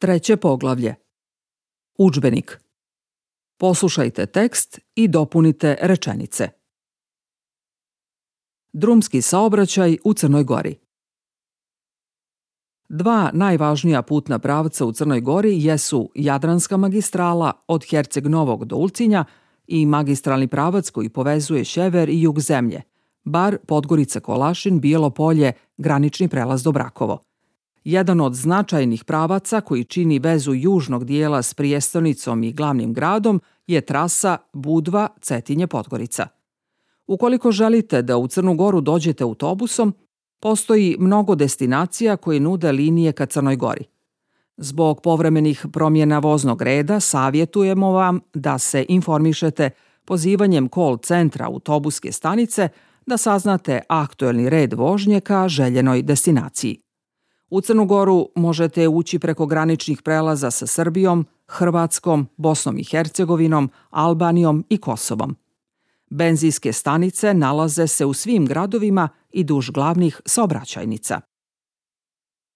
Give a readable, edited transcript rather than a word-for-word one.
Treće poglavlje. Udžbenik. Poslušajte tekst i dopunite rečenice. Drumski saobraćaj u Crnoj Gori. Dva najvažnija putna pravca u Crnoj Gori jesu Jadranska magistrala od Herceg Novog do Ulcinja i magistralni pravac koji povezuje sjever i jug zemlje, Bar, Podgorica, Kolašin, Bijelo Polje, granični prelaz do Brakovo. Jedan od značajnih pravaca koji čini vezu južnog dijela s prijestonicom i glavnim gradom je trasa Budva-Cetinje-Podgorica. Ukoliko želite da u Crnu Goru dođete autobusom, postoji mnogo destinacija koje nude linije ka Crnoj Gori. Zbog povremenih promjena voznog reda savjetujemo vam da se informišete pozivanjem call centra autobuske stanice da saznate aktuelni red vožnje ka željenoj destinaciji. U Crnu Goru možete ući preko graničnih prelaza sa Srbijom, Hrvatskom, Bosnom i Hercegovinom, Albanijom i Kosovom. Benzinske stanice nalaze se u svim gradovima i duž glavnih saobraćajnica.